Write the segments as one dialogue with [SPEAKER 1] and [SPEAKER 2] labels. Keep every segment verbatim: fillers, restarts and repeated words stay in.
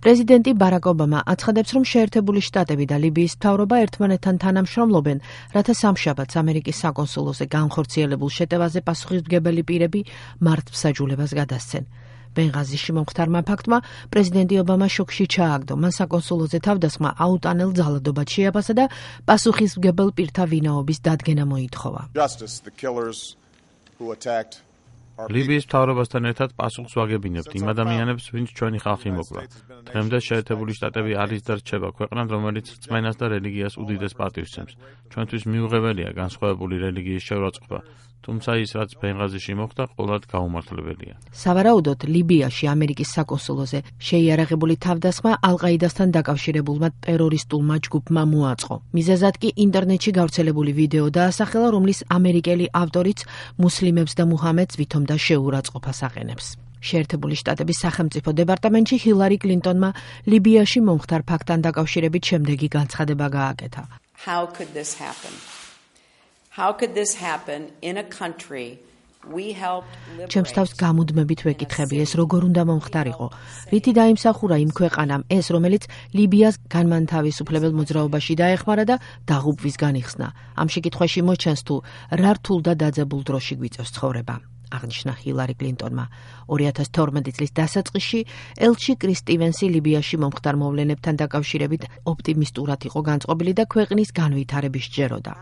[SPEAKER 1] პრეზიდენტი ბარაკ ობამა აცხადებს, რომ შეერთებული შტატები და ლიბიის მთავრობა ერთმანეთთან თანამშრომლობენ, რათა სამშაბათს ამერიკის საკონსულოზე განხორციელებულ შეტევაზე პასუხისმგებელი პირები მართლმსაჯულებას გადასცენ. ბენღაზიში მომხდარმა ფაქტმა პრეზიდენტი ობამა შოკში ჩააგდო. მან საკონსულოზე თავდასხმა აუტანელ ძალადობად შეაფასა და პასუხისმგებელ პირთა ვინაობის დადგენა მოითხოვა.
[SPEAKER 2] ლიბიის მთავრობასთან ერთად პასუხს ვაგებინებთ იმ ადამიანებს, ვინც ჩვენი ხალხი მოკლა. დღემდე შეერთებული შტატები არის და რჩება ქვეყნად, რომელიც რწმენას და რელიგიას უდიდეს პატივს სცემს. ჩვენთვის მიუღებელია განსხვავებული რელიგიის შეურაცხყოფა, თუმცა ის, რაც ბენღაზიში მოხდა, ყოველად გაუმართლებელია.
[SPEAKER 1] სავარაუდოდ, ლიბიაში ამერიკის საკონსულოზე შეიარაღებული თავდასხმა ალ-ყაიდასთან დაკავშირებულმა ტერორისტულმა ჯგუფმა მოაწყო. მიზეზად კი ინტერნეტში გავრცელებული ვიდეო დაასახელა, რომლის ამერიკელი ავტორიც მუსლიმებს და მუჰამედს ვითომ და შეურაცხყოფას აყენებს. შეერთებული შტატების სახელმწიფო დეპარტამენტში ჰილარი კლინტონმა ლიბიაში მომხდარ ფაქტთან დაკავშირებით შემდეგი განცხადება გააკეთა.
[SPEAKER 3] How could this happen? How could this happen in a country we helped liberate?
[SPEAKER 1] ჩემს თავს გამუდმებით ვეკითხები, ეს როგორ უნდა მომხდარიყო? რითი დაიმსახურა იმ ქვეყანამ ეს, რომელიც ლიბიას განმანთავისუფლებელ მოძრაობაში დაეხმარა და დაღუპვისგან იხსნა? ამ შეკითხვაში მოჩანს თუ რა რთულ და დაძაბულ დროში გვიწევს ცხოვრება. აღნიშნა ჰილარი კლინტონმა. ორი ათას თორმეტი წლის დასაწყისში ელჩი კრის სტივენსი ლიბიაში მომხდარ მოვლენებთან დაკავშირებით ოპტიმისტურად იყო განწყობილი და ქვეყნის განვითარების სჯეროდა.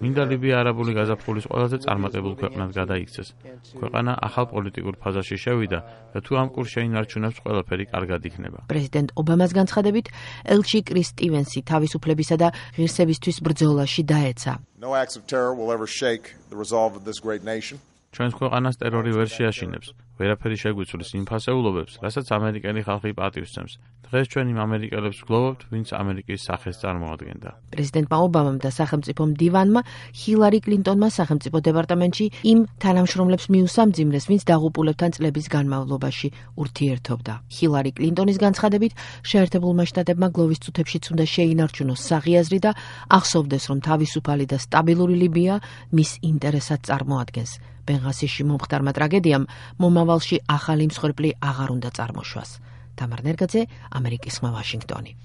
[SPEAKER 2] მინდა ლიბია არაბული გაზაფხულის ყველაზე წარმატებულ ქვეყნად გადაიქცეს. ქვეყანა ახალ პოლიტიკურ ფაზაში შევიდა და თუ ამ კურსს შეინარჩუნებს, ყველაფერი კარგად იქნება.
[SPEAKER 1] პრეზიდენტ ობამას განცხადებით, ელჩი კრის სტივენსი თავისუფლებისა და ღირსებისთვის ბრძოლაში დაეცა.
[SPEAKER 4] No acts of terror will ever shake the resolve of this great nation.
[SPEAKER 2] ჩვენს ქვეყანას ტერორი ვერ შეაშინებს. ვერაფერი შეგვიცვლის იმ ფასეულობებს, რასაც ამერიკელი ხალხი პატივს სცემს. დღეს ჩვენ იმ ამერიკელებს ვგლოვობთ, ვინც ამერიკის სახეს წარმოადგენდა.
[SPEAKER 1] პრეზიდენტმა ობამამ და სახელმწიფო მდივანმა ჰილარი კლინტონმა სახელმწიფო დეპარტამენტში იმ თანამშრომლებს მიუსამძიმრეს, ვინც დაღუპულებთან წლების განმავლობაში ურთიერთობდა. ჰილარი კლინტონის განცხადებით, შეერთებულმა შტატებმა გლოვის წუთებშიც უნდა შეინარჩუნოს საღიაზრი და ახსოვდეს, რომ თავისუფალი და სტაბილური ლიბია მის ინტერესად წარმოადგენს. ბენღაზიში მომხდარმა ტრაგედიამ მომავალში ახალი მსხვერპლი აღარ უნდა წარმოშვას. თამარ ნერგაძე, ამერიკის ხმა, ვაშინგტონი.